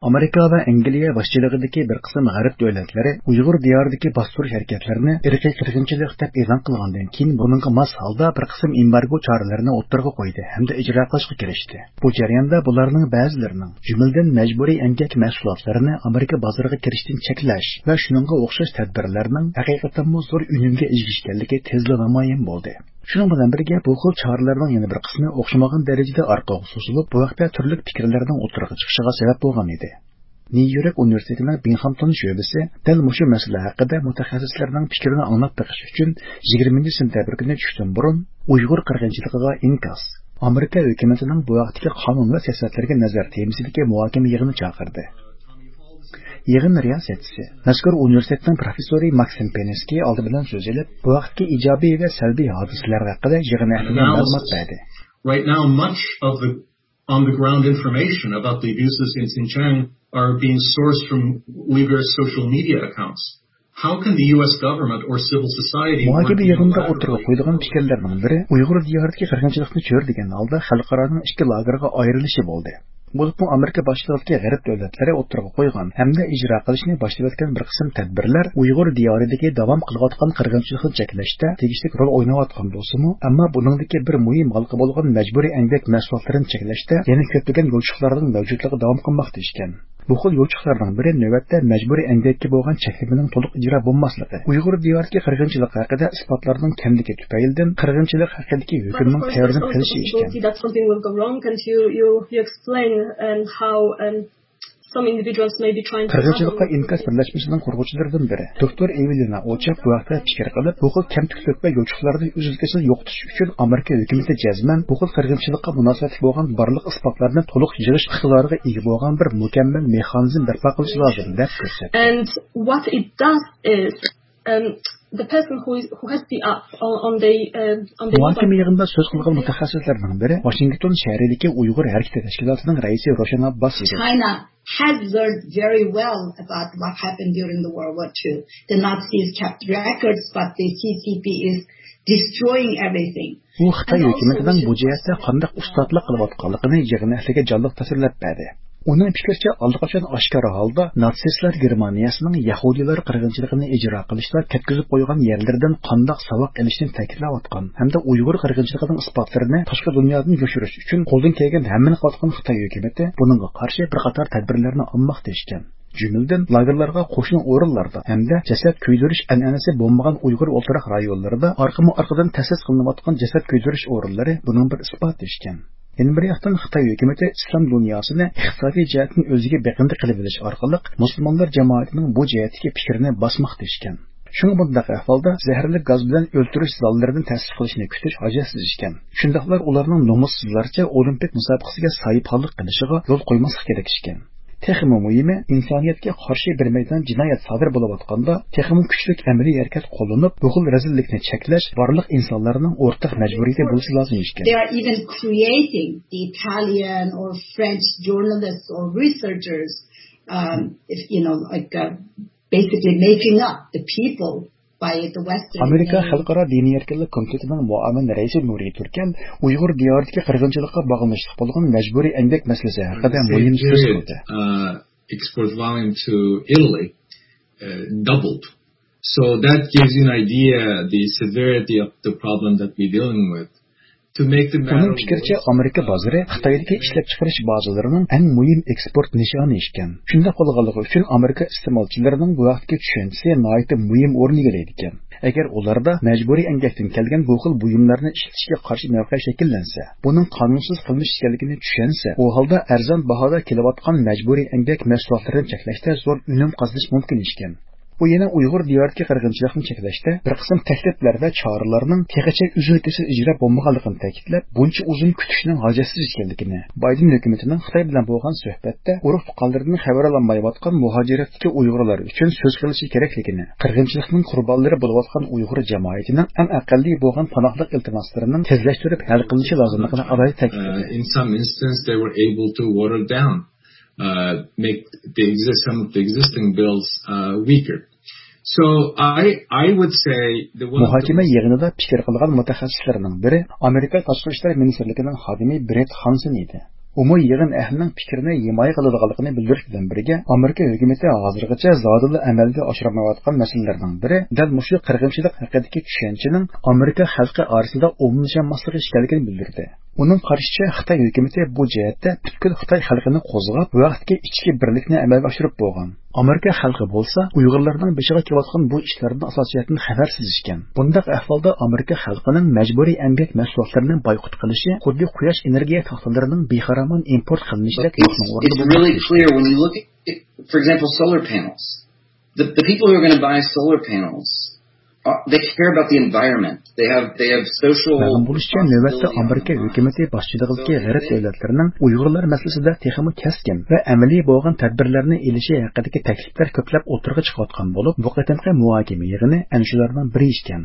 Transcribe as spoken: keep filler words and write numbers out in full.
ئامېرىكا ۋە ئەنگلىيە باشچىلىقىدىكى بىر قىسىم غەرب دۆلەتلىرى ئۇيغۇر دىيارىدىكى باستۇرۇش ھەرىكەتلىرىنى ئىرقىي قىرغىنچىلىق دەپ ئېلان قىلغاندىن كېيىن، بۇنىڭغا ماس ھالدا بىر قىسىم ئېمبارگو چارىلىرىنى ئوتتۇرىغا قويدى ھەمدە ئىجرا قىلىشقا كىرىشتى. بۇ جەرياندا بۇلارنىڭ بەزىلىرىنىڭ، جۈملىدىن مەجبۇرىي ئەمگەك مەھسۇلاتلىرىنى ئامېرىكا بازىرىغا كىرىشتىن چەكلەش ۋە شۇنىڭغا ئوخشاش تەدبىرلەرنىڭ ھەقىقەتەنمۇ زور ئۈنۈمگە ئىگە ئىكەنلىكى تېزلا نامايان بولدى. شۇنىڭ بىلەن بىرگە، بۇ خىل چارىلەرنىڭ يەنە بىر قىسمى ئوخشىمىغان دەرىجىدە ئارقىغا سوزۇلۇپ، بۇ ھەقتە تۈرلۈك پىكىرلەرنىڭ ئوتتۇرىغا چىقىشىغا سەۋەب بولغان ئىدى. نيۇ يورك ئۇنىۋېرسىتېتىنىڭ بىڭخامتون شۆبىسى دەل مۇشۇ مەسىلە ھەققىدە مۇتەخەسسىسلەرنىڭ پىكرىنى ئاڭلاپ بېقىش ئۈچۈن يىگىرمىنچى سېنتەبىر كۈنى چۈشتىن بۇرۇن ئۇيغۇر قىرغىنچىلىقىغا ئىنكاس، ئامېرىكا ھۆكۈمىتىنىڭ بۇ ھەقتىكى قانۇن ۋە سىياسەتلىرىگە نەزەر تېمىسىدىكى مۇھاكىمە يىغىنى چاقىردى. يىغىن رىياسەتچىسى، مەزكۇر ئۇنىۋېرسىتېتنىڭ پروفېسسورى ماكسىم پېنسكىي ئالدى بىلەن سۆز ئېلىپ، بۇ ھەقتىكى ئىجابىي ۋە سەلبىي ھادىسىلەر ھەققىدە يىغىن ئەھلىگە مەلۇمات بەردى. Right now, much of the on the ground information about the abuses in Xinjiang are being sourced from Uyghur social media accounts. How can the U S government or civil society work مۇھاكىمە يىغىنىدا ئوتتۇرىغا قويۇلغان پىكىرلەرنىڭ بىرى ئۇيغۇر دىيارىدىكى قىرغىنچىلىقنى چۆرىدىگەن ھالدا خەلقئارانىڭ ئىككى لاگېرغا ئايرىلىشى بولدى. بولۇپمۇ ئامېرىكا باشچىلىقىدىكى غەرب دۆلەتلىرى ئوتتۇرىغا قويغان ھەمدە ئىجرا قىلىشنى باشلىۋەتكەن بىر قىسىم تەدبىرلەر ئۇيغۇر دىيارىدىكى داۋام قىلىۋاتقان قىرغىنچىلىقنى چەكلەشتە تېگىشلىك رول ئويناۋاتقان بولسىمۇ، ئەمما بۇنىڭدىكى بىر مۇھىم ھالقا بولغان مەجبۇرىي ئەمگەك مەھسۇلاتلىرىنى چەكلەشتە يەنە كۆپلىگەن يوچۇقلارنىڭ مەۋجۇتلۇقى داۋام قىلماقتا ئىكەن. بۇ خىل يوچۇقلارنىڭ بىرى نۆۋەتتە مەجبۇرىي ئەمگەككە بولغان چەكلىمىنىڭ تولۇق ئىجرا بولماسلىقى، ئۇيغۇر دىيارىدىكى قىرغىنچىلىق ھەققىدە ئىسپاتلارنىڭ كەملىكى تۈپەيلىدىن قىرغىنچىلىق ھەققىدىكى ھۆكۈمنىڭ تەۋرىنىپ قېلىشى ئىكەن. That something will go wrong, and you, you, you explain, um, how, um, some individuals may be trying to قىرغىنچىلىققا ئىنكاس بىرلەشمىسىنىڭ قۇرغۇچىلىرىدىن بىرى، دوكتور ئېۋېلىنا ئوچاك بۇ ھەقتە پىكىر قىلىپ، بۇ خىل كەمتۈكلۈك ۋە يوچۇقلارنى ئۈزۈل-كېسىل يوقىتىش ئۈچۈن ئامېرىكا ھۆكۈمىتى جەزمەن بۇ خىل قىرغىنچىلىققا مۇناسىۋەتلىك بولغان بارلىق ئىسپاتلارنى تولۇق يىغىش ئىقتىدارىغا ئىگە بولغان بىر مۇكەممەل مېخانىزم بەرپا قىلىش لازىم، دەپ كۆرسەتتى. And what it does is, um, the person who is, who has the up on, on the, uh, on the مۇھاكىمە يىغىنىدا سۆز قىلغان مۇتەخەسسىسلەرنىڭ بىرى ۋاشىنگتون شەھىرىدىكى ئۇيغۇر ھەرىكىتى تەشكىلاتىنىڭ رەئىسى روشەن ئابباس ئىدى. China has learned very well about what happened during the World War Two. The Nazis kept records, but the C C P is destroying everything. ئۇ خىتاي ھۆكۈمىتىنىڭ بۇ جەھەتتە قانداق ئۇستازلىق قىلىۋاتقانلىقىنى يىغىن ئەھلىگە جانلىق تەسۋىرلەپ بەردى. ئۇنىڭ پىكرىچە، ئاللىقاچان ئاشكارا ھالدا ناتسىستلار گېرمانىيەسىنىڭ يەھۇدىيلار قىرغىنچىلىقىنى ئىجرا قىلىشتا كەتكۈزۈپ قويغان يەرلىرىدىن قانداق ساۋاق ئېلىشنى تەكىتلەۋاتقان ھەمدە ئۇيغۇر قىرغىنچىلىقىنىڭ ئىسپاتلىرىنى تاشقى دۇنيادىن يوشۇرۇش ئۈچۈن قولىدىن كەلگەن ھەممىنى قىلىۋاتقان خىتاي ھۆكۈمىتى بۇنىڭغا قارشى بىر قاتار تەدبىرلەرنى ئالماقتا ئىكەن. جۈملىدىن، لاگېرلارغا قوشنا ئورۇنلاردا ھەمدە جەسەت كۆيدۈرۈش ئەنئەنىسى بولمىغان ئۇيغۇر ئولتۇراق رايونلىرىدا ئارقىمۇ ئارقىدىن تەسىس قىلىنىۋاتقان جەسەت كۆيدۈرۈش ئورۇنلىرى بۇنىڭ بىر ئىسپاتى ئىكەن. يەنە بىر ياقتىن، خىتاي ھۆكۈمىتى ئىسلام دۇنياسىنى ئىقتىسادىي جەھەتتىن ئۆزىگە بېقىندى قىلىۋېلىش ئارقىلىق مۇسۇلمانلار جامائىتىنىڭ بۇ جەھەتتىكى پىكرىنى باسماقتا ئىكەن. شۇڭا بۇنداق ئەھۋالدا زەھەرلىك گاز بىلەن ئۆلتۈرۈش زاللىرىنى تەسىس قىلىشنى كۈتۈش ھاجەتسىز ئىكەن. شۇنداقلا ئۇلارنىڭ نومۇسسىزلارچە ئولىمپىك مۇسابىقىسىگە ساھىبخانلىق قىلىشىغا يول قويماسلىق كېرەك ئىكەن. تېخىمۇ مۇھىمى، ئىنسانىيەتكە قارشى بىر مەيدان جىنايەت سادىر بولۇۋاتقاندا، تېخىمۇ كۈچلۈك ئەمەلىي ھەرىكەت قوللىنىپ، بۇ خىل رەزىللىكنى چەكلەش بارلىق ئىنسانلارنىڭ ئورتاق مەجبۇرىيىتى بولۇشى لازىم ئىكەن. They are even creating the Italian or French journalists or researchers, um, if, you know, like, uh, basically making up the people ئامېرىكا خەلقئارا دىنىي ئەركىنلىك كومىتېتىنىڭ مۇئاۋىن رەئىسى نۇرى تۈركەل ئۇيغۇر دىيارىدىكى قىرغىنچىلىققا باغلىنىشلىق بولغان مەجبۇرىي ئەمگەك مەسىلىسى ھەققىدە مۇھىم سۆز قىلدى. Export volume to Italy, uh, doubled. So that gives you an idea the severity of the problem that we're dealing with. ئۇنىڭ پىكرىچە، ئامېرىكا بازىرى خىتايدىكى ئىشلەپچىقىرىش بازىلىرىنىڭ ئەڭ مۇھىم ئېكسپورت نىشانى ئىكەن. شۇنداق بولغانلىقى ئۈچۈن، ئامېرىكا ئىستېمالچىلىرىنىڭ بۇ ھەقتىكى چۈشەنچىسى ناھايىتى مۇھىم ئورۇن ئىگىلەيدىكەن. ئەگەر ئۇلاردا مەجبۇرىي ئەمگەكتىن كەلگەن بۇ خىل بۇيۇملارنى ئىشلىتىشكە قارشى مەۋقە شەكىللەنسە، بۇنىڭ قانۇنسىز قىلمىش ئىكەنلىكىنى چۈشەنسە، ئۇ ھالدا ئەرزان باھادا كېلىۋاتقان مەجبۇرىي ئەمگەك مەھسۇلاتلىرىنى چەكلەشتە زور ئۈنۈم قازىنىش مۇمكىن ئىكەن. ئۇ يەنە ئۇيغۇر دىيارىدىكى قىرغىنچىلىقنى چەكلەشتە بىر قىسىم تەكلىپلەر ۋە چارىلەرنىڭ تېخىچە ئۈزۈل-كېسىل ئىجرا بولمىغانلىقىنى تەكىتلەپ، بۇنچە ئۇزۇن كۈتۈشنىڭ ھاجەتسىز ئىكەنلىكىنى، بايدېن ھۆكۈمىتىنىڭ خىتاي بىلەن بولغان سۆھبەتتە ئۇرۇق-تۇغقانلىرىدىن خەۋەر ئالالمايۋاتقان مۇھاجىرەتتىكى ئۇيغۇرلار ئۈچۈن سۆز قىلىشى كېرەكلىكىنى، قىرغىنچىلىقنىڭ قۇربانلىرى بولۇۋاتقان ئۇيغۇر جامائىتىنىڭ ئەڭ ئەقەللىي بولغان پاناھلىق ئىلتىماسلىرىنىڭ تېزلەشتۈرۈپ ھەل قىلىنىشى لازىملىقىنى ئالاھىدە تەكىتلىدى. Uh, in some instance, they were able to water down, uh, make the exist-, some of the existing bills, uh, weaker. So I, I would say the one of the مۇھاكىمە يىغىنىدا پىكىر قىلغان مۇتەخەسسىسلەرنىڭ بىرى ئامېرىكا تاشقى ئىشلار مىنىستىرلىكىنىڭ خادىمى برېت خانسېن ئىدى. ئۇمۇ يىغىن ئەھلىنىڭ پىكرىنى ھىمايە قىلىدىغانلىقىنى بىلدۈرۈش بىلەن بىرگە، ئامېرىكا ھۆكۈمىتى ھازىرغىچە زادىلا ئەمەلگە ئاشۇرمايۋاتقان مەسىلىلەرنىڭ بىرى دەل مۇشۇ قىرغىنچىلىق ھەققىدىكى چۈشەنچىنىڭ ئامېرىكا خەلقى ئارىسىدا ئومۇملىشالماسلىقى ئىكەنلىكىنى بىلدۈردى. ئۇنىڭ قارىشىچە، خىتاي ھۆكۈمىتى بۇ جەھەتتە پۈتكۈل خىتاي خەلقىنى قوزغاپ، بۇ ھەقتىكى ئىچكى بىرلىكنى ئەمەلگە ئاشۇرۇپ بولغان. ئامېرىكا خەلقى بولسا ئۇيغۇرلارنىڭ بېشىغا كېلىۋاتقان بۇ ئىشلاردىن ئاساسىي جەھەتتىن خەۋەرسىز ئىكەن. بۇنداق ئەھۋالدا ئامېرىكا خەلقىنىڭ مەجبۇرىي ئەمگەك مەھسۇلاتلىرىنى بايقۇت قىلىشى خۇددى قۇياش ئېنېرگىيە تاختىلىرىنىڭ بىخارامان ئىمپورت قىلىنىشىدەك يوقنىڭ ئورنىدا بولماقتا. It's really clear when you look at, for example, solar panels. The, the people who are going to buy solar panels, uh, they care about the environment. They have, they have social responsibility on the environment. مەلۇم بولۇشىچە، نۆۋەتتە ئامېرىكا ھۆكۈمىتى باشچىلىقىدىكى غەرب دۆلەتلىرىنىڭ ئۇيغۇرلار مەسىلىسىدە تېخىمۇ كەسكىن ۋە ئەمەلىي بولغان تەدبىرلەرنى ئېلىشى ھەققىدىكى تەكلىپلەر كۆپلەپ ئوتتۇرىغا چىقىۋاتقان بولۇپ، بۇ قېتىمقى مۇھاكىمە يىغىنى ئەنە شۇلارنىڭ بىرى ئىكەن.